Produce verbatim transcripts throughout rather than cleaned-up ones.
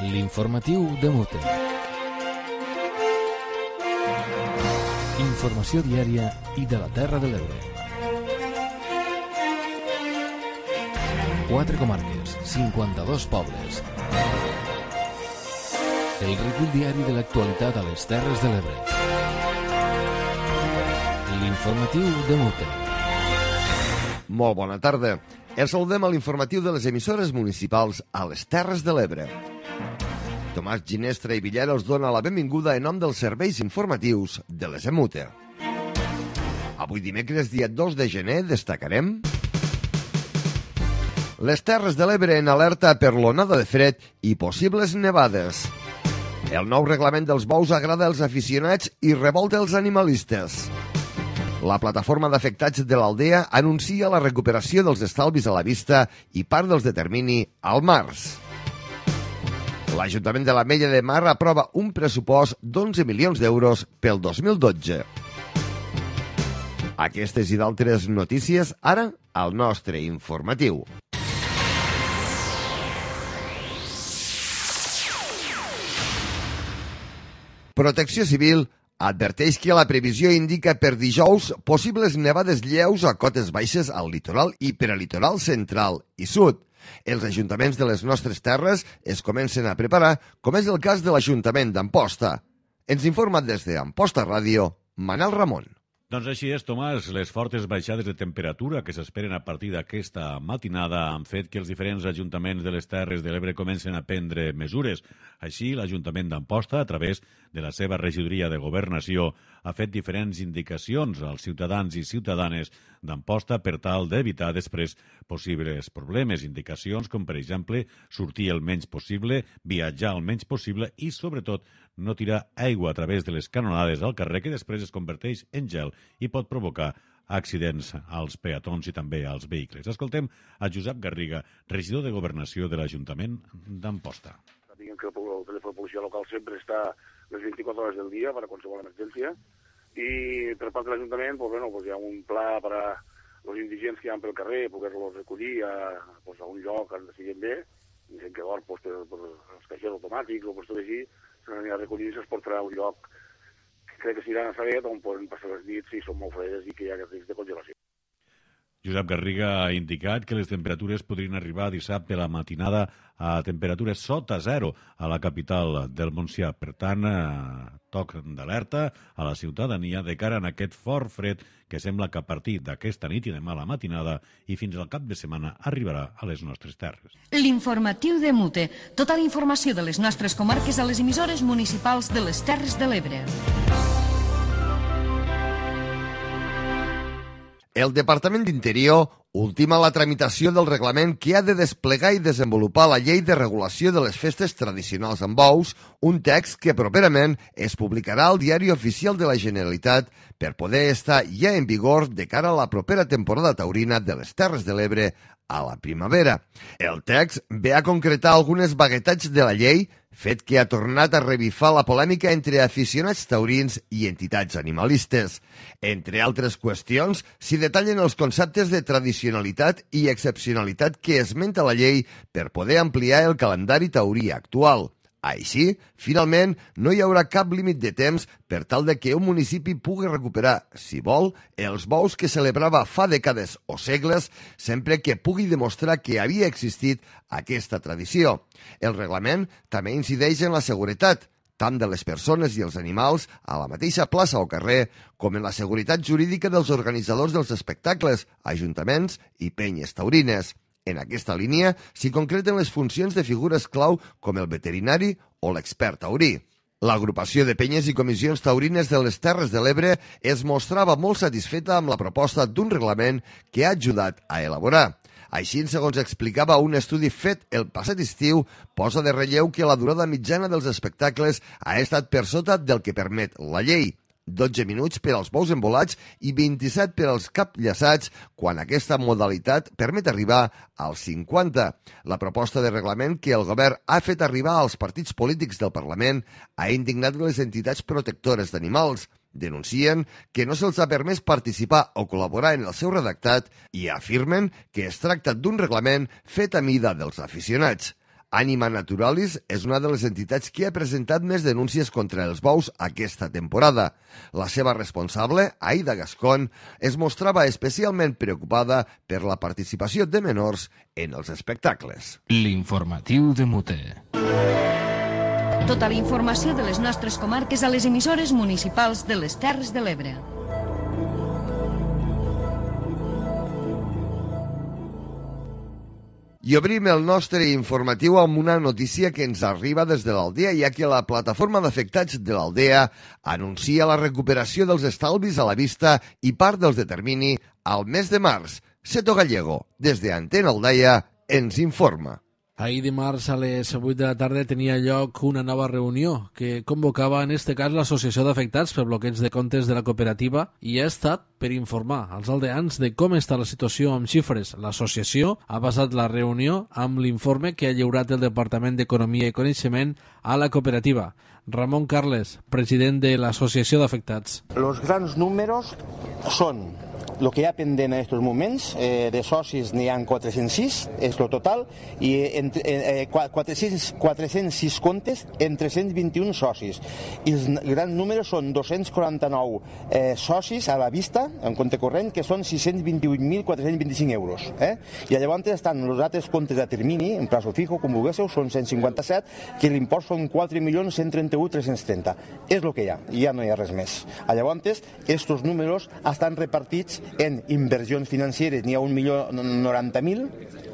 L'informatiu de Mute. Informació diària i de la Terra de l'Ebre. Quatre comarques, cinquanta-dos pobles. El recull diari de l'actualitat a les Terres de l'Ebre. L'informatiu de Mute. Molt bona tarda. Els saludem a l'informatiu de les emissores municipals a les Terres de l'Ebre. Tomàs Ginestra i Villera us dona la benvinguda en nom dels serveis informatius de les Emute. Avui dimecres, dia dos de gener, destacarem les Terres de l'Ebre en alerta per l'onada de fred i possibles nevades. El nou reglament dels bous agrada als aficionats i revolta els animalistes. La plataforma d'afectats de l'Aldea anuncia la recuperació dels estalvis a la vista i part dels de termini al març. L'Ajuntament de l'Ametlla de Mar aprova un pressupost d'onze milions d'euros pel dos mil dotze. Aquestes i d'altres notícies ara al nostre informatiu. Protecció Civil adverteix que la previsió indica per dijous possibles nevades lleus a cotes baixes al litoral i peralitoral central i sud. Els ajuntaments de les nostres terres es comencen a preparar, com és el cas de l'Ajuntament d'Amposta. Ens informa des d'Amposta Ràdio, Manel Ramon. Doncs així és, Tomàs. Les fortes baixades de temperatura que s'esperen a partir d'aquesta matinada han fet que els diferents ajuntaments de les Terres de l'Ebre comencen a prendre mesures. Així, l'Ajuntament d'Amposta, a través de la seva regidoria de Governació, ha fet diferents indicacions als ciutadans i ciutadanes d'Amposta per tal d'evitar després possibles problemes. Indicacions com, per exemple, sortir el menys possible, viatjar el menys possible i, sobretot, no tirar aigua a través de les canonades al carrer que després es converteix en gel i pot provocar accidents als peatons i també als vehicles. Escoltem a Josep Garriga, regidor de Governació de l'Ajuntament d'Amposta. Diguem que el telèfon de policia local sempre està les vint-i-quatre hores del dia per a qualsevol emergència i per part de l'Ajuntament pues, bueno, pues, hi ha un pla per a els indigents que hi ha pel carrer, poder-los recollir a, pues, a un lloc on estiguen bé, gent que dorm pues, per, per els caixers automàtics o per tot així, s'aniran a recollir i se'ls portarà a un lloc que crec que s'aniran a saber on poden passar les nits si són molt fredes i que hi ha risc de congelació. Josep Garriga ha indicat que les temperatures podrien arribar dissabte a la matinada a temperatures sota zero a la capital del Montsià. Per tant, eh, toc d'alerta a la ciutadania de cara a aquest fort fred que sembla que a partir d'aquesta nit i demà a la matinada i fins al cap de setmana arribarà a les nostres terres. L'informatiu de Mute. Tota la informació de les nostres comarques a les emissores municipals de les Terres de l'Ebre. El Departament d'Interior ultima la tramitació del reglament que ha de desplegar i desenvolupar la Llei de Regulació de les Festes Tradicionals amb Bous, un text que properament es publicarà al Diari Oficial de la Generalitat per poder estar ja en vigor de cara a la propera temporada taurina de les Terres de l'Ebre a la primavera. El text ve a concretar algunes vaguetats de la llei, fet que ha tornat a revifar la polèmica entre aficionats taurins i entitats animalistes. Entre altres qüestions, s'hi detallen els conceptes de tradicionalitat i excepcionalitat que esmenta la llei per poder ampliar el calendari taurí actual. Així, finalment, no hi haurà cap límit de temps per tal de que un municipi pugui recuperar, si vol, els bous que celebrava fa dècades o segles, sempre que pugui demostrar que havia existit aquesta tradició. El reglament també incideix en la seguretat, tant de les persones i els animals a la mateixa plaça o carrer, com en la seguretat jurídica dels organitzadors dels espectacles, ajuntaments i penyes taurines. En aquesta línia s'hi concreten les funcions de figures clau com el veterinari o l'expert taurí. L'agrupació de penyes i comissions taurines de les Terres de l'Ebre es mostrava molt satisfeta amb la proposta d'un reglament que ha ajudat a elaborar. Així, segons explicava un estudi fet el passat estiu, posa de relleu que la durada mitjana dels espectacles ha estat per sota del que permet la llei. dotze minuts per als bous embolats i vint-i-set per als capllaçats, quan aquesta modalitat permet arribar als cinquanta. La proposta de reglament que el govern ha fet arribar als partits polítics del Parlament ha indignat les entitats protectores d'animals. Denuncien que no se'ls ha permès participar o col·laborar en el seu redactat i afirmen que es tracta d'un reglament fet a mida dels aficionats. Anima Naturalis és una de les entitats que ha presentat més denúncies contra els bous aquesta temporada. La seva responsable, Aida Gascón, es mostrava especialment preocupada per la participació de menors en els espectacles. L'informatiu de Mute. Tota la informació de les nostres comarques a les emissores municipals de les Terres de l'Ebre. I obrim el nostre informatiu amb una notícia que ens arriba des de l'Aldea, ja que la plataforma d'afectats de l'Aldea anuncia la recuperació dels estalvis a la vista i part dels de termini al mes de març. Seto Gallego, des de Antena Aldaia, ens informa. Ahir dimarts a les vuit de la tarda tenia lloc una nova reunió que convocava en este cas l'Associació d'Afectats per bloqueig de comptes de la cooperativa i ha estat per informar als aldeans de com està la situació amb xifres. L'associació ha basat la reunió amb l'informe que ha lliurat el Departament d'Economia i Coneixement a la cooperativa. Ramon Carles, president de l'Associació d'Afectats. Los grans números són lo que hi ha pendent en aquests moments, eh, de socis n'hi ha quatre-cents sis, és el total, i entre, eh, quatre-cents, quatre-cents sis comptes en tres-cents vint-i-un socis. I els grans números són dos-cents quaranta-nou eh, socis a la vista, en compte corrent, que són sis-cents vint-i-vuit mil quatre-cents vint-i-cinc euros. Eh? I llavors estan els altres comptes a termini, en plazo fijo, com vulguéssiu, són cent cinquanta-set, que l'import són quatre milions cent trenta-un mil tres-cents trenta. És el que hi ha, i ja no hi ha res més. Llavors, aquests números estan repartits en inversions financeres, n'hi ha un milió noranta mil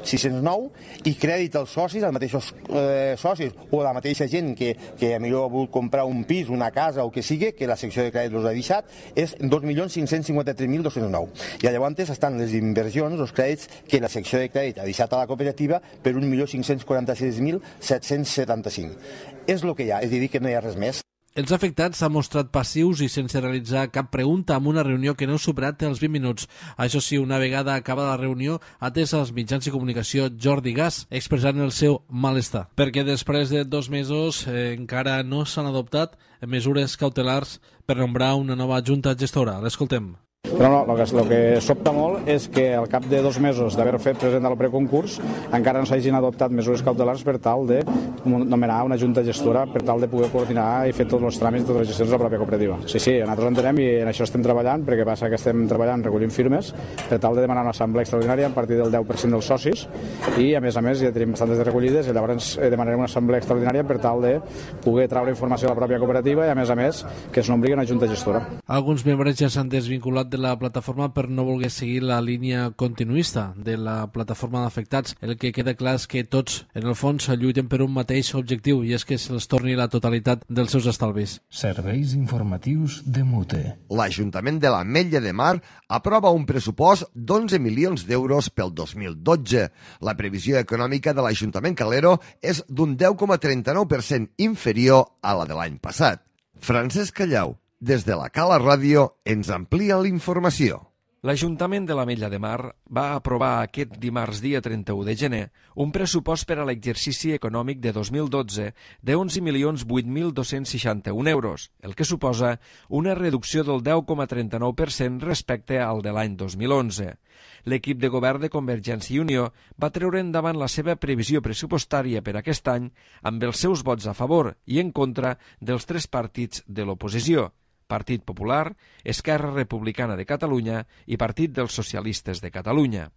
sis-cents nou, i crèdit als socis, als mateixos eh, socis o la mateixa gent que, que millor ha volgut comprar un pis, una casa o que sigui, que la secció de crèdit els ha deixat, és dos milions cinc-cents cinquanta-tres mil dos-cents nou. I llavors estan les inversions, els crèdits que la secció de crèdit ha deixat a la cooperativa per un milió cinc-cents quaranta-sis mil set-cents setanta-cinc. És el que hi ha, és a dir, que no hi ha res més. Els afectats s'han mostrat passius i sense realitzar cap pregunta amb una reunió que no ha superat els vint minuts. Això sí, una vegada acabada la reunió, ha atès als mitjans de comunicació Jordi Gas, expressant el seu malestar. Perquè després de dos mesos eh, encara no s'han adoptat mesures cautelars per nombrar una nova junta gestora. L'escoltem. Però no, el que, el que sobta molt és que al cap de dos mesos d'haver fet present el preconcurs encara no s'hagin adoptat mesures cautelars per tal de nomenar una junta gestora per tal de poder coordinar i fer tots els tràmits de les gestions de la pròpia cooperativa. Sí, sí, nosaltres entenem i en això estem treballant, perquè passa que estem treballant recollint firmes per tal de demanar una assemblea extraordinària a partir del deu per cent dels socis i a més a més ja tenim bastantes de recollides i llavors demanarem una assemblea extraordinària per tal de poder traure informació a la pròpia cooperativa i a més a més que es nombri una junta gestora. Alguns membres ja s'han desvinculat de la plataforma per no voler seguir la línia continuista de la plataforma d'afectats. El que queda clar és que tots, en el fons, lluiten per un mateix objectiu i és que se'ls torni la totalitat dels seus estalvis. Serveis informatius de Mute. L'Ajuntament de l'Ametlla de Mar aprova un pressupost d'onze milions d'euros pel dos mil dotze. La previsió econòmica de l'Ajuntament Calero és d'un deu coma trenta-nou per cent inferior a la de l'any passat. Francesc Callau, des de la Cala Ràdio, ens amplia la informació. L'Ajuntament de l'Ametlla de Mar va aprovar aquest dimarts dia trenta-u de gener un pressupost per a l'exercici econòmic de dos mil dotze de onze milions vuit mil dos-cents seixanta-un euros, el que suposa una reducció del deu coma trenta-nou per cent respecte al de l'any dos mil onze. L'equip de govern de Convergència i Unió va treure endavant la seva previsió pressupostària per aquest any amb els seus vots a favor i en contra dels tres partits de l'oposició, Partit Popular, Esquerra Republicana de Catalunya i Partit dels Socialistes de Catalunya.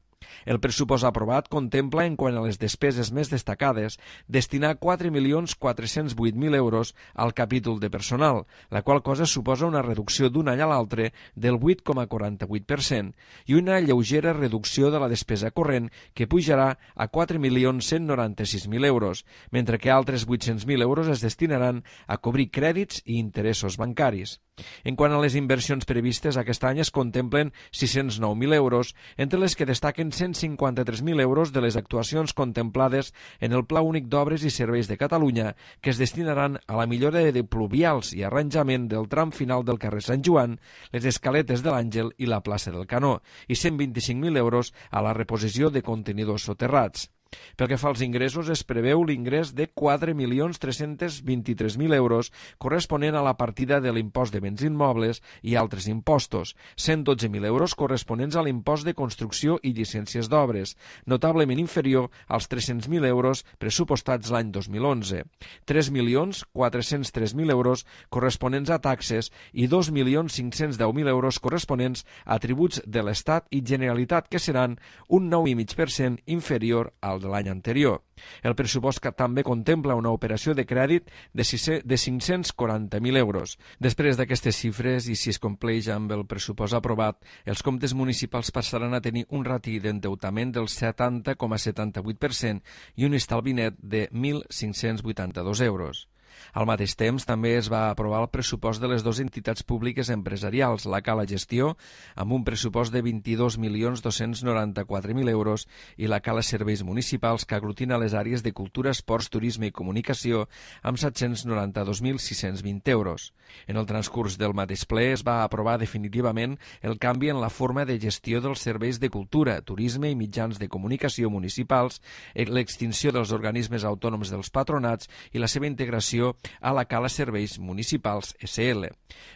El pressupost aprovat contempla, en quant a les despeses més destacades, destinar quatre milions quatre-cents vuit mil euros al capítol de personal, la qual cosa suposa una reducció d'un any a l'altre del vuit coma quaranta-vuit per cent i una lleugera reducció de la despesa corrent que pujarà a quatre milions cent noranta-sis mil euros, mentre que altres vuit-cents mil euros es destinaran a cobrir crèdits i interessos bancaris. En quant a les inversions previstes, aquest any es contemplen sis-cents nou mil euros, entre les que destaquen cent cinquanta-tres mil euros de les actuacions contemplades en el Pla Únic d'Obres i Serveis de Catalunya, que es destinaran a la millora de pluvials i arranjament del tram final del carrer Sant Joan, les escaletes de l'Àngel i la plaça del Canó, i cent vint-i-cinc mil euros a la reposició de contenidors soterrats. Pel que fa als ingressos, es preveu l'ingrés de quatre milions tres-cents vint-i-tres mil euros corresponent a la partida de l'impost de béns immobles i altres impostos, cent dotze mil euros corresponents a l'impost de construcció i llicències d'obres, notablement inferior als tres-cents mil euros pressupostats l'any dos mil onze, tres milions quatre-cents tres mil euros corresponents a taxes i dos milions cinc-cents deu mil euros corresponents a tributs de l'Estat i Generalitat, que seran un nou coma cinc per cent inferior al de l'any anterior. El pressupost que també contempla una operació de crèdit de cinc-cents quaranta mil euros. Després d'aquestes xifres, i si es compleix amb el pressupost aprovat, els comptes municipals passaran a tenir un rati d'endeutament del setanta coma setanta-vuit per cent i un estalvi net de mil cinc-cents vuitanta-dos euros. Al mateix temps, també es va aprovar el pressupost de les dues entitats públiques empresarials, la Cala Gestió, amb un pressupost de vint-i-dos milions dos-cents noranta-quatre mil euros, i la Cala Serveis Municipals, que aglutina les àrees de cultura, esports, turisme i comunicació, amb set-cents noranta-dos mil sis-cents vint euros. En el transcurs del mateix ple es va aprovar definitivament el canvi en la forma de gestió dels serveis de cultura, turisme i mitjans de comunicació municipals, l'extinció dels organismes autònoms dels patronats i la seva integració a la Cala Serveis Municipals S L.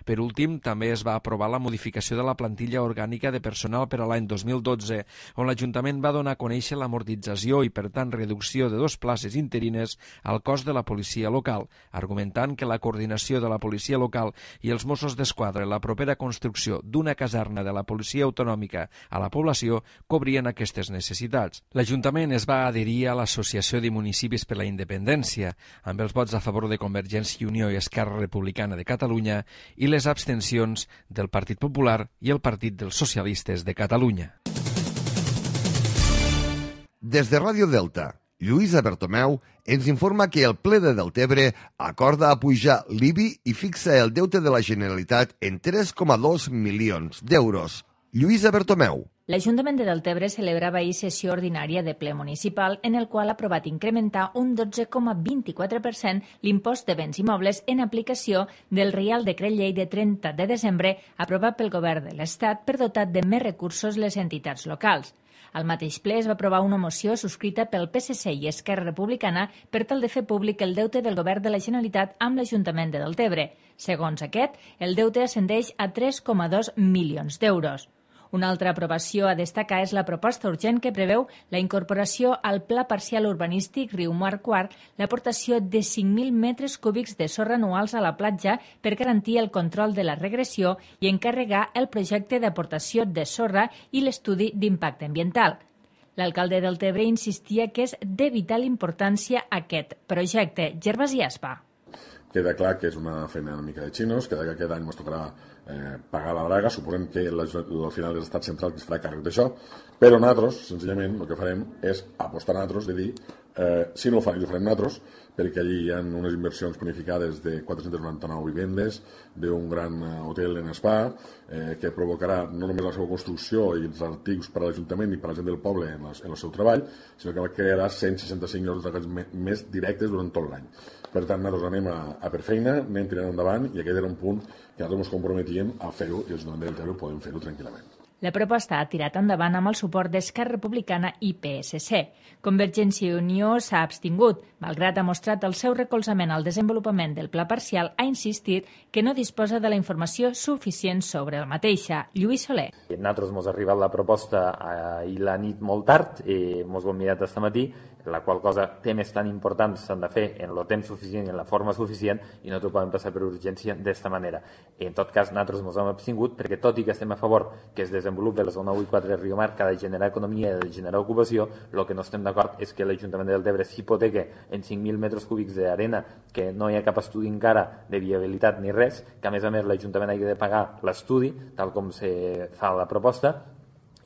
Per últim, també es va aprovar la modificació de la plantilla orgànica de personal per a l'any dos mil dotze, on l'Ajuntament va donar a conèixer l'amortització i, per tant, reducció de dos places interines al cos de la policia local, argumentant que la coordinació de la policia local i els Mossos d'Esquadra i la propera construcció d'una caserna de la policia autonòmica a la població cobrien aquestes necessitats. L'Ajuntament es va adherir a l'Associació de Municipis per la Independència, amb els vots a favor de Convergència i Unió i Esquerra Republicana de Catalunya i les abstencions del Partit Popular i el Partit dels Socialistes de Catalunya. Des de Ràdio Delta, Lluïsa Bertomeu ens informa que el ple de Deltebre acorda apujar l'I B I i fixa el deute de la Generalitat en tres coma dos milions d'euros. Lluïsa Bertomeu. L'Ajuntament de Deltebre celebrava ahir sessió ordinària de ple municipal en el qual ha aprovat incrementar un dotze coma vint-i-quatre per cent l'impost de béns immobles en aplicació del Reial Decret Llei de trenta de desembre aprovat pel Govern de l'Estat per dotar de més recursos les entitats locals. Al mateix ple es va aprovar una moció subscrita pel P S C i Esquerra Republicana per tal de fer públic el deute del Govern de la Generalitat amb l'Ajuntament de Deltebre. Segons aquest, el deute ascendeix a tres coma dos milions d'euros. Una altra aprovació a destacar és la proposta urgent que preveu la incorporació al Pla Parcial Urbanístic Riumar Quart l'aportació de cinc mil metres cúbics de sorra anuals a la platja per garantir el control de la regressió i encarregar el projecte d'aportació de sorra i l'estudi d'impacte ambiental. L'alcalde del Deltebre insistia que és de vital importància aquest projecte. Gervasi Aspa. Queda clar que és una feina una mica de xinos, que aquest any ens tocarà eh, pagar la draga, suposem que la, al final és l'estat central que es farà càrrec d'això, però nosaltres, senzillament, el que farem és apostar nosaltres, de dir, eh, si no ho farem, ho farem nosaltres, perquè allí hi ha unes inversions planificades de quatre-cents noranta-nou vivendes, d'un gran hotel en spa, eh, que provocarà no només la seva construcció i els articles per a l'Ajuntament i per a la gent del poble en, les, en el seu treball, sinó que crearà cent seixanta-cinc llocs de treball més directes durant tot l'any. Per tant, nosaltres anem a, a per feina, anem tirant endavant, i aquest era un punt que nosaltres ens comprometíem a fer-ho, i els de Deltebre podem fer-ho tranquil·lament. La proposta ha tirat endavant amb el suport d'Esquerra Republicana i P S C. Convergència i Unió s'ha abstingut. Malgrat ha mostrat el seu recolzament al desenvolupament del pla parcial, ha insistit que no disposa de la informació suficient sobre el mateixa. Lluís Soler. A nosaltres ens ha arribat la proposta ahir la nit molt tard, i ens ho hem mirat aquest matí, la qual cosa temes tan importants s'han de fer en el temps suficient i en la forma suficient, i no t'ho poden passar per urgència d'esta manera. En tot cas, nosaltres ens hem abstingut perquè, tot i que estem a favor que es desenvolupi la zona u i quatre de Riumar, que ha de generar economia i ha de generar ocupació, el que no estem d'acord és que l'Ajuntament de Deltebre s'hipoteca en cinc mil metres cúbics d'arena, que no hi ha cap estudi encara de viabilitat ni res, que a més a més l'Ajuntament hagi de pagar l'estudi, tal com se fa la proposta,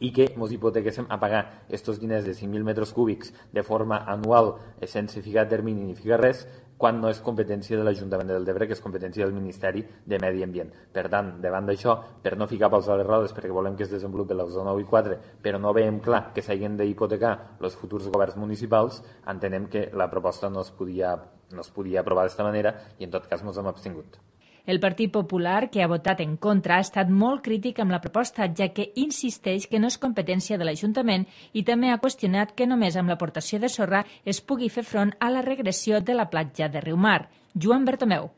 i que ens hipotequéssim a pagar aquests diners de cinc mil metres cúbics de forma anual, sense ficar termini ni ficar res, quan no és competència de l'Ajuntament de Deltebre, que és competència del Ministeri de Medi Ambient. Per tant, davant d'això, per no ficar pals a les rodes, perquè volem que es desenvolupi la zona u i quatre, però no veiem clar que s'hagin d'hipotecar els futurs governs municipals, entenem que la proposta no es podia, no es podia aprovar d'esta manera, i en tot cas ens hem abstingut. El Partit Popular, que ha votat en contra, ha estat molt crític amb la proposta, ja que insisteix que no és competència de l'Ajuntament i també ha qüestionat que només amb l'aportació de sorra es pugui fer front a la regressió de la platja de Riumar. Joan Bertomeu.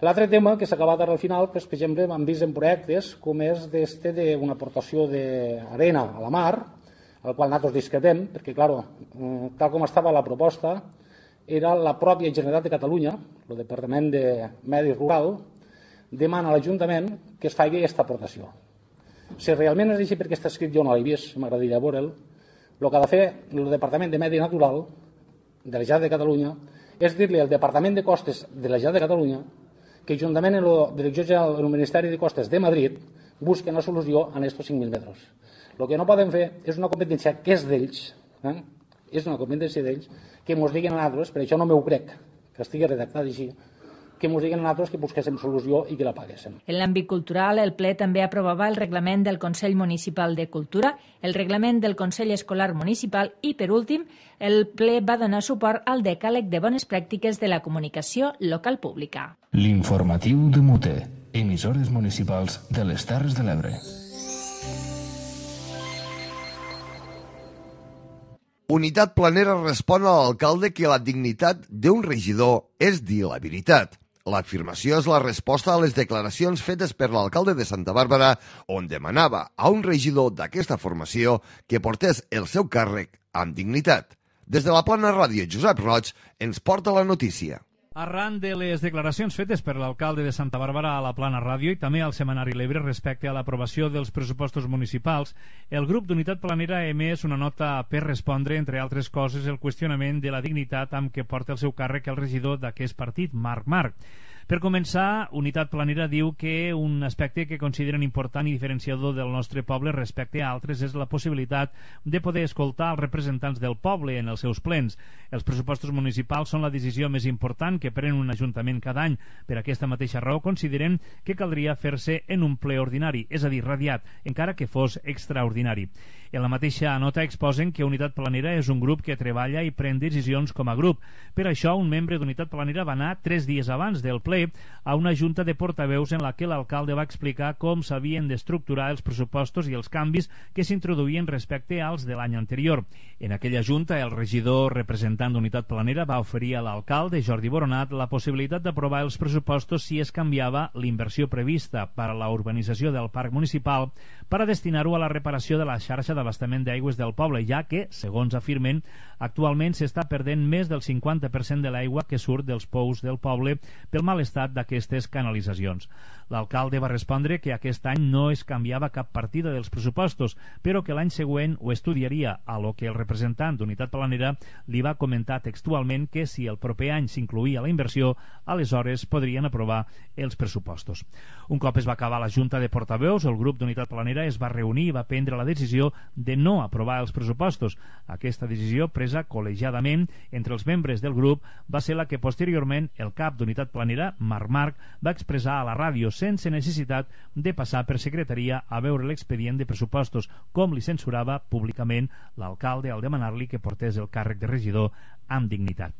L'altre tema que s'ha acabat ara al final, pues, per exemple, hem vist en projectes com és d'este d'una aportació d'arena a la mar, al qual nosaltres discrepem, perquè, clar, tal com estava la proposta, era la pròpia Generalitat de Catalunya, el Departament de Medi Rural, demana a l'Ajuntament que es faci aquesta aportació. Si realment és així, perquè està escrit jo no l'he vist, m'agradaria veure'l, el que ha de fer el Departament de Medi Natural de la Generalitat de Catalunya és dir-li al Departament de Costes de la Generalitat de Catalunya que juntament amb la Direcció General del Ministeri de Costes de Madrid busquen la solució en aquests cinc mil metres. El que no poden fer és una competència que és d'ells, eh? és una competència d'ells, que ens diguin a nosaltres, per això no m'ho crec, que estigui redactat així, que ens diguin a nosaltres que busquéssim solució i que la paguéssim. En l'àmbit cultural, el ple també aprovava el reglament del Consell Municipal de Cultura, el reglament del Consell Escolar Municipal i, per últim, el ple va donar suport al decàleg de bones pràctiques de la comunicació local pública. L'informatiu de Mute, emissores municipals de les Terres de l'Ebre. Unitat Planera respon a l'alcalde que la dignitat d'un regidor és dir la veritat. L'afirmació és la resposta a les declaracions fetes per l'alcalde de Santa Bàrbara, on demanava a un regidor d'aquesta formació que portés el seu càrrec amb dignitat. Des de la Plana Ràdio, Josep Roig ens porta la notícia. Arran de les declaracions fetes per l'alcalde de Santa Bàrbara a la Plana Ràdio i també al Setmanari L'Ebre respecte a l'aprovació dels pressupostos municipals, el grup d'Unitat Planera ha emès una nota per respondre, entre altres coses, el qüestionament de la dignitat amb què porta el seu càrrec el regidor d'aquest partit, Marc Marc. Per començar, Unitat Planera diu que un aspecte que consideren important i diferenciador del nostre poble respecte a altres és la possibilitat de poder escoltar els representants del poble en els seus plens. Els pressupostos municipals són la decisió més important que pren un ajuntament cada any. Per aquesta mateixa raó consideren que caldria fer-se en un ple ordinari, és a dir, radiat, encara que fos extraordinari. En la mateixa nota exposen que Unitat Planera és un grup que treballa i pren decisions com a grup. Per això, un membre d'Unitat Planera va anar tres dies abans del ple a una junta de portaveus en la que l'alcalde va explicar com s'havien d'estructurar els pressupostos i els canvis que s'introduïen respecte als de l'any anterior. En aquella junta, el regidor representant d'Unitat Planera va oferir a l'alcalde, Jordi Boronat, la possibilitat d'aprovar els pressupostos si es canviava l'inversió prevista per a la urbanització del parc municipal per a destinar-ho a la reparació de la xarxa d'abastament d'aigües del poble, ja que, segons afirmen, actualment s'està perdent més del cinquanta per cent de l'aigua que surt dels pous del poble pel mal estat d'aquestes canalitzacions. L'alcalde va respondre que aquest any no es canviava cap partida dels pressupostos, però que l'any següent ho estudiaria, a lo que el representant d'Unitat Planera li va comentar textualment que si el proper any s'incluïa la inversió, aleshores podrien aprovar els pressupostos. Un cop es va acabar la junta de portaveus, el grup d'Unitat Planera es va reunir i va prendre la decisió de no aprovar els pressupostos. Aquesta decisió, presa col·legiadament entre els membres del grup, va ser la que posteriorment el cap d'Unitat Planera, Marc Marc, va expressar a la ràdio sense necessitat de passar per secretaria a veure l'expedient de pressupostos, com li censurava públicament l'alcalde al demanar-li que portés el càrrec de regidor amb dignitat.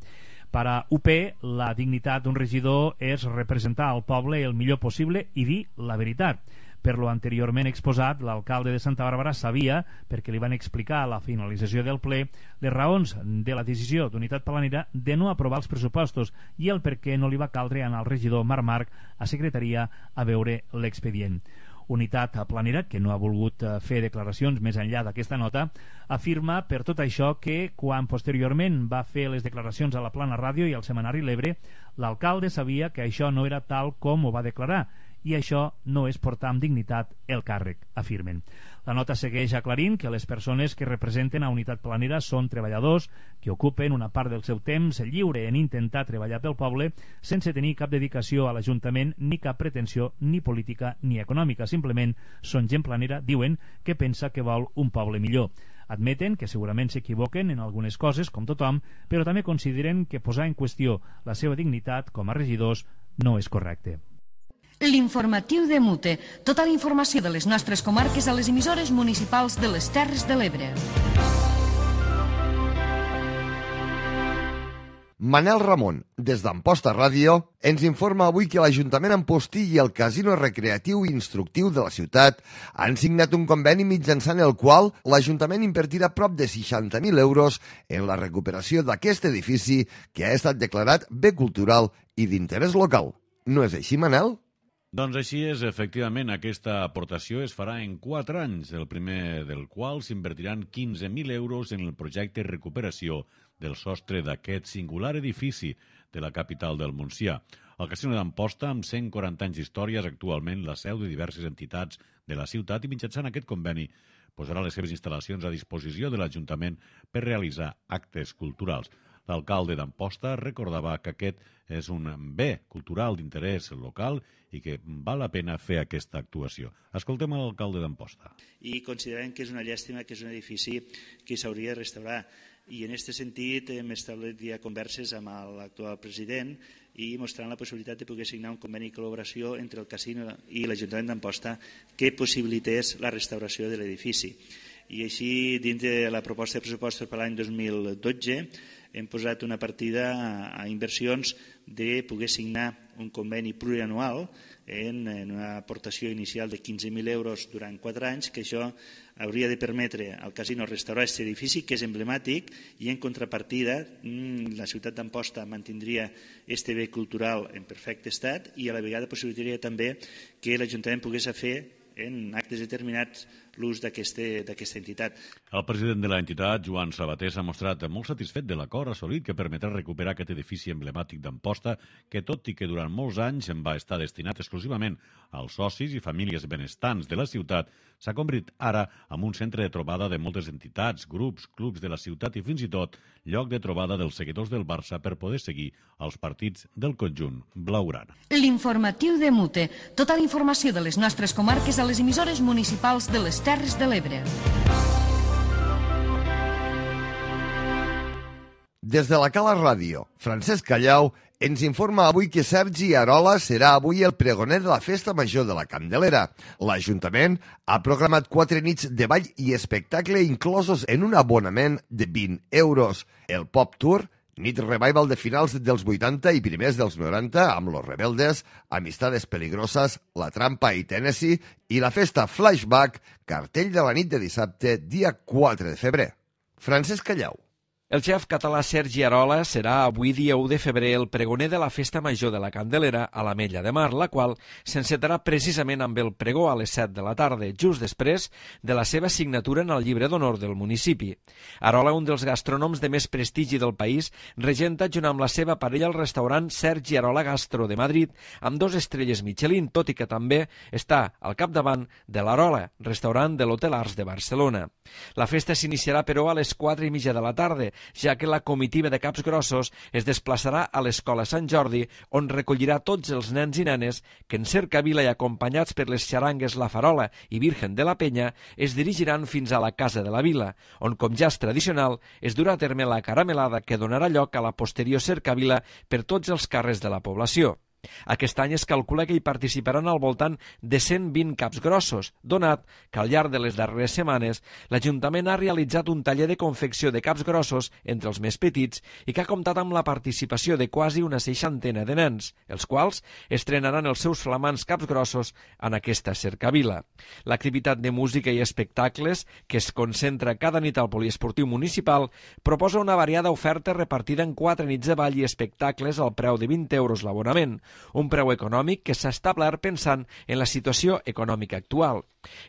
Per a U P, la dignitat d'un regidor és representar al poble el millor possible i dir la veritat. Per lo anteriorment exposat, l'alcalde de Santa Bàrbara sabia, perquè li van explicar a la finalització del ple, les raons de la decisió d'Unitat Planera de no aprovar els pressupostos i el per què no li va caldre anar al regidor Marc Marc a secretaria a veure l'expedient. Unitat Planera, que no ha volgut fer declaracions més enllà d'aquesta nota, afirma per tot això que, quan posteriorment va fer les declaracions a la Plana Ràdio i al Setmanari L'Ebre, l'alcalde sabia que això no era tal com ho va declarar, i això no és portar amb dignitat el càrrec, afirmen. La nota segueix aclarint que les persones que representen a Unitat Planera són treballadors que ocupen una part del seu temps lliure en intentar treballar pel poble sense tenir cap dedicació a l'Ajuntament ni cap pretensió ni política ni econòmica. Simplement són gent planera, diuen, que pensa que vol un poble millor. Admeten que segurament s'equivoquen en algunes coses, com tothom, però també consideren que posar en qüestió la seva dignitat com a regidors no és correcte. L'informatiu de Mute. Tota la informació de les nostres comarques a les emissores municipals de les Terres de l'Ebre. Manel Ramon, des d'Amposta Ràdio, ens informa avui que l'Ajuntament Ampostí i el Casino Recreatiu i Instructiu de la ciutat han signat un conveni mitjançant el qual l'Ajuntament invertirà prop de seixanta mil euros en la recuperació d'aquest edifici que ha estat declarat bé cultural i d'interès local. No és així, Manel? Doncs així és, efectivament, aquesta aportació es farà en quatre anys, el primer del qual s'invertiran quinze mil euros en el projecte recuperació del sostre d'aquest singular edifici de la capital del Montsià. El Casino d'Amposta, amb cent quaranta anys d'història, és actualment la seu de diverses entitats de la ciutat i mitjançant aquest conveni posarà les seves instal·lacions a disposició de l'Ajuntament per realitzar actes culturals. L'alcalde d'Amposta recordava que aquest és un bé cultural d'interès local i que val la pena fer aquesta actuació. Escoltem l'alcalde d'Amposta. I considerem que és una llàstima que és un edifici que s'hauria de restaurar. I en aquest sentit hem establert ja converses amb l'actual president i mostrant la possibilitat de poder signar un conveni de col·laboració entre el casino i l'Ajuntament d'Amposta que possibilités la restauració de l'edifici. I així, dins de la proposta de pressupostos per l'any dos mil dotze, hem posat una partida a inversions de poder signar un conveni plurianual en una aportació inicial de quinze mil euros durant quatre anys, que això hauria de permetre al casino restaurar aquest edifici, que és emblemàtic, i en contrapartida la ciutat d'Amposta mantindria aquest bé cultural en perfecte estat i a la vegada possibilitaria també que l'Ajuntament pogués fer en actes determinats l'ús d'aquesta entitat. El president de l'entitat, Joan Sabater, s'ha mostrat molt satisfet de l'acord assolit que permetrà recuperar aquest edifici emblemàtic d'Amposta que, tot i que durant molts anys en va estar destinat exclusivament als socis i famílies benestants de la ciutat, s'ha convertit ara en un centre de trobada de moltes entitats, grups, clubs de la ciutat i fins i tot lloc de trobada dels seguidors del Barça per poder seguir els partits del conjunt blaugrana. L'informatiu de Mute. Tota la informació de les nostres comarques a les emissores municipals de les Terres de l'Ebre. Des de la Cala Ràdio, Francesc Callau ens informa avui que Sergi Arola serà avui el pregoner de la Festa Major de la Candelera. L'Ajuntament ha programat quatre nits de ball i espectacle inclosos en un abonament de vint euros. El Pop Tour, nit revival de finals dels vuitanta i primers dels noranta amb Los Rebeldes, Amistades Peligrosas, La Trampa i Tennessee, i la festa Flashback, cartell de la nit de dissabte, dia quatre de febrer. Francesc Callau. El xef català Sergi Arola serà avui dia u de febrer el pregoner de la Festa Major de la Candelera a l'Ametlla de Mar, la qual s'encetarà precisament amb el pregó a les set de la tarda, just després de la seva signatura en el llibre d'honor del municipi. Arola, un dels gastrònoms de més prestigi del país, regenta junt amb la seva parella el restaurant Sergi Arola Gastro de Madrid, amb dos estrelles Michelin, tot i que també està al capdavant de l'Arola, restaurant de l'Hotel Arts de Barcelona. La festa s'iniciarà, però, a les quatre i mitja de la tarda, ja que la comitiva de Caps Grossos es desplaçarà a l'Escola Sant Jordi, on recollirà tots els nens i nenes que en cercavila i acompanyats per les xarangues La Farola i Virgen de la Penya es dirigiran fins a la Casa de la Vila, on, com ja és tradicional, es durà a terme la caramelada que donarà lloc a la posterior cercavila per tots els carrers de la població. Aquest any es calcula que hi participaran al voltant de cent vint caps grossos, donat que al llarg de les darreres setmanes l'Ajuntament ha realitzat un taller de confecció de caps grossos entre els més petits i que ha comptat amb la participació de quasi una seixantena de nens, els quals estrenaran els seus flamants caps grossos en aquesta cercavila. L'activitat de música i espectacles, que es concentra cada nit al poliesportiu municipal, proposa una variada oferta repartida en quatre nits de ball i espectacles al preu de vint euros l'abonament, un preu econòmic que s'ha establert pensant en la situació econòmica actual.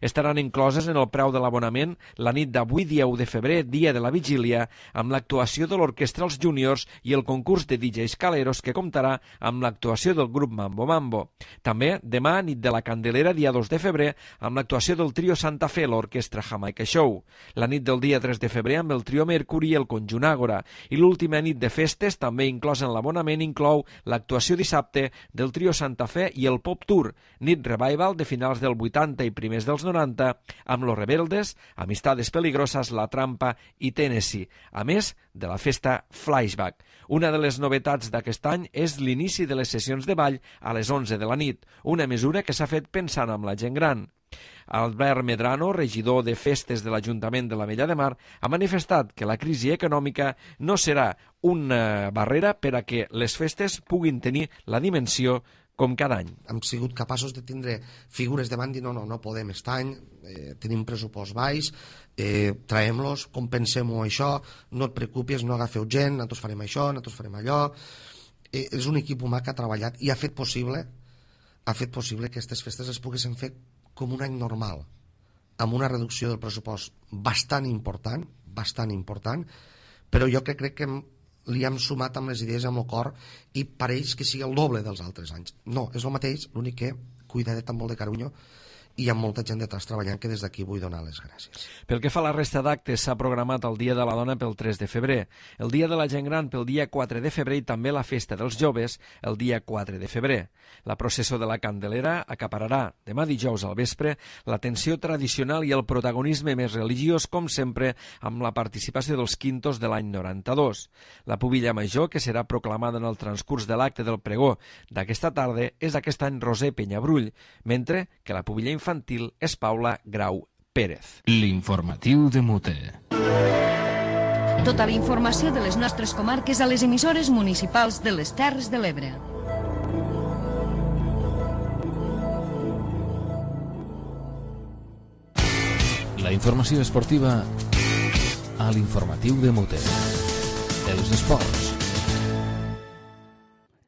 Estaran incloses en el preu de l'abonament la nit d'avui, dia u de febrer, dia de la vigília, amb l'actuació de l'Orquestra Els Júniors i el concurs de D Js Caleros, que comptarà amb l'actuació del grup Mambo Mambo. També demà, nit de la Candelera, dia dos de febrer, amb l'actuació del trio Santa Fe, l'Orquestra Jamaica Show. La nit del dia tres de febrer amb el trio Mercury i el conjunt Àgora. I l'última nit de festes, també inclòs en l'abonament, inclou l'actuació dissabte del trio Santa Fe i el Pop Tour, nit revival de finals del vuitanta i primers dels noranta, amb Los Rebeldes, Amistades Peligrosas, La Trampa i Tennessee, a més de la festa Flashback. Una de les novetats d'aquest any és l'inici de les sessions de ball a les onze de la nit, una mesura que s'ha fet pensant amb la gent gran. Albert Medrano, regidor de Festes de l'Ajuntament de l'Ametlla de Mar, ha manifestat que la crisi econòmica no serà una barrera per a que les festes puguin tenir la dimensió com cada any. Hem sigut capaços de tindre figures davant i dir no, no, no podem estar any, eh, tenim pressupost baix, eh, traiem-los, compensem-ho això, no et preocupis, no agafeu gent, nosaltres farem això, nosaltres farem allò. Eh, és un equip humà que ha treballat i ha fet possible ha fet possible que aquestes festes es poguessin fer com un any normal, amb una reducció del pressupost bastant important, bastant important, però jo que crec que hem li hem sumat amb les idees amb el cor i pareix que sigui el doble dels altres anys. No, és el mateix, l'únic que cuidadet amb molt de carinyo i hi ha molta gent detrás treballant que des d'aquí vull donar les gràcies. Pel que fa a la resta d'actes, s'ha programat el Dia de la Dona pel tres de febrer, el Dia de la Gent Gran pel dia quatre de febrer i també la Festa dels Joves el dia quatre de febrer. La processó de la Candelera acapararà demà dijous al vespre l'atenció tradicional i el protagonisme més religiós, com sempre, amb la participació dels quintos de l'any noranta-dos. La pubilla major, que serà proclamada en el transcurs de l'acte del pregó d'aquesta tarda, és aquest any Roser Penyabrull, mentre que la pubilla infantil és Paula Grau Pérez. L'informatiu de Mute. Tota la informació de les nostres comarques a les emissores municipals de les Terres de l'Ebre. La informació esportiva a l'informatiu de Mute. Els esports.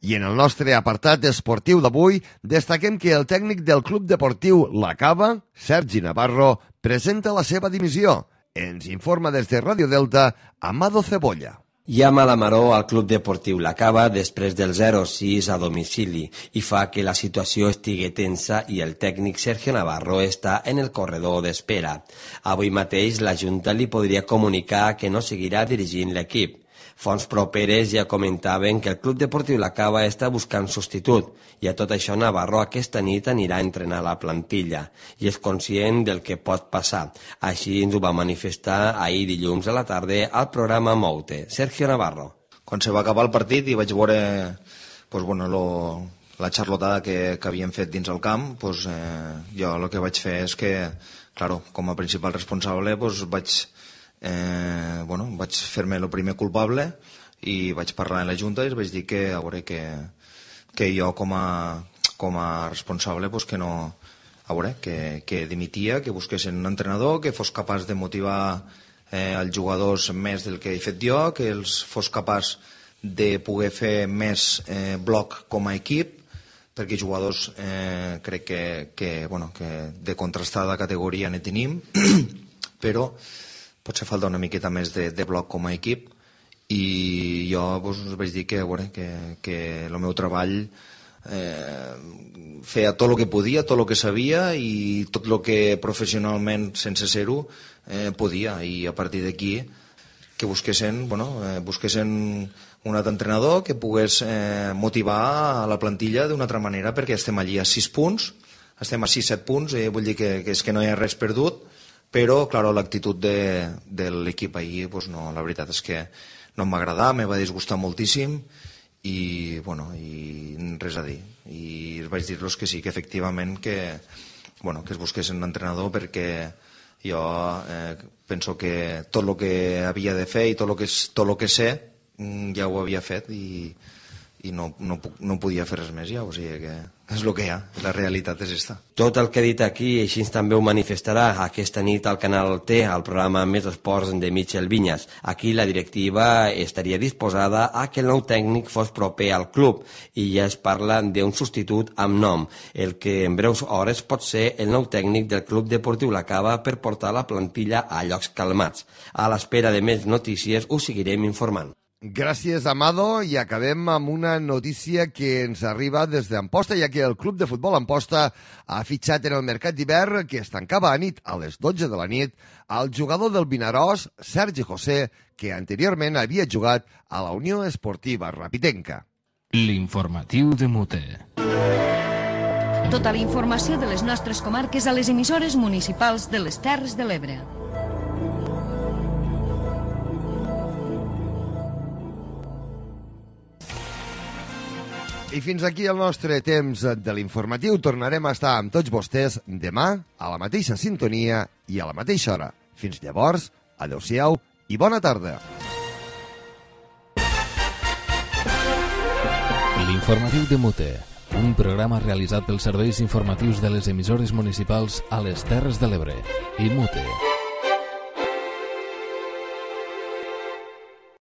I en el nostre apartat esportiu d'avui destaquem que el tècnic del Club Deportiu La Cava, Sergi Navarro, presenta la seva dimissió. Ens informa des de Ràdio Delta, Amado Cebolla. Hi ha mala maror al Club Deportiu La Cava després del zero sis a domicili i fa que la situació estigui tensa i el tècnic Sergio Navarro està en el corredor d'espera. Avui mateix la Junta li podria comunicar que no seguirà dirigint l'equip. Fonts properes ja comentaven que el Club Deportiu La Cava està buscant substitut i a tot això Navarro aquesta nit anirà a entrenar la plantilla i és conscient del que pot passar. Així ens ho va manifestar ahir dilluns a la tarda al programa Moute. Sergio Navarro. Quan se va acabar el partit i vaig veure pues, bueno, lo, la xarlotada que, que havien fet dins el camp, pues, eh, jo el que vaig fer és que, claro, com a principal responsable pues, vaig... Eh, bueno, vaig fer-me el primer culpable i vaig parlar en la Junta i vaig dir que, a veure, que, que jo com a, com a responsable pues, que no, a veure, que, que dimitia, que busquessin un entrenador que fos capaç de motivar eh, els jugadors més del que he fet jo, que els fos capaç de poder fer més eh, bloc com a equip, perquè jugadors eh, crec que, que, bueno, que de contrastada categoria ne tenim, però potser falta una miqueta més de, de bloc com a equip i jo pues, vaig dir que, bueno, que, que el meu treball eh, feia tot el que podia, tot el que sabia i tot el que professionalment, sense ser-ho, eh, podia. I a partir d'aquí que busquessin, bueno, eh, busquessin un altre entrenador que pogués eh, motivar a la plantilla d'una altra manera, perquè estem allí a sis punts, estem a sis set punts, eh, vull dir que, que és que no hi ha res perdut, però, clar, l'actitud de, de l'equip ahir, pues no, la veritat és que no em va agradar, me va disgustar moltíssim i, bueno, i res a dir. I vaig dir-los que sí, que efectivament que, bueno, que es busquessin un entrenador perquè jo eh, penso que tot el que havia de fer i tot el que, tot el que sé ja ho havia fet i, i no, no, no podia fer res més ja, o sigui que és el que hi ha, la realitat és esta. Tot el que he dit aquí, així també ho manifestarà aquesta nit al Canal T, al programa Més Esports de Michel Vinyas. Aquí la directiva estaria disposada a que el nou tècnic fos proper al club i ja es parla d'un substitut amb nom, el que en breus hores pot ser el nou tècnic del Club Deportiu La Cava per portar la plantilla a llocs calmats. A l'espera de més notícies us seguirem informant. Gràcies, Amado, i acabem amb una notícia que ens arriba des d'Amposta, ja que el Club de Futbol Amposta ha fitxat en el mercat d'hivern, que es tancava a nit a les dotze de la nit, al jugador del Vinaròs, Sergi José, que anteriorment havia jugat a la Unió Esportiva Rapitenca. L'informatiu de Mute. Tota la informació de les nostres comarques a les emissores municipals de les Terres de l'Ebre. I fins aquí el nostre temps de l'informatiu. Tornarem a estar amb tots vostès demà a la mateixa sintonia i a la mateixa hora. Fins llavors, adeu-siau i bona tarda. L'informatiu de Mute, un programa realitzat pels serveis informatius de les emissores municipals a les Terres de l'Ebre i Mute.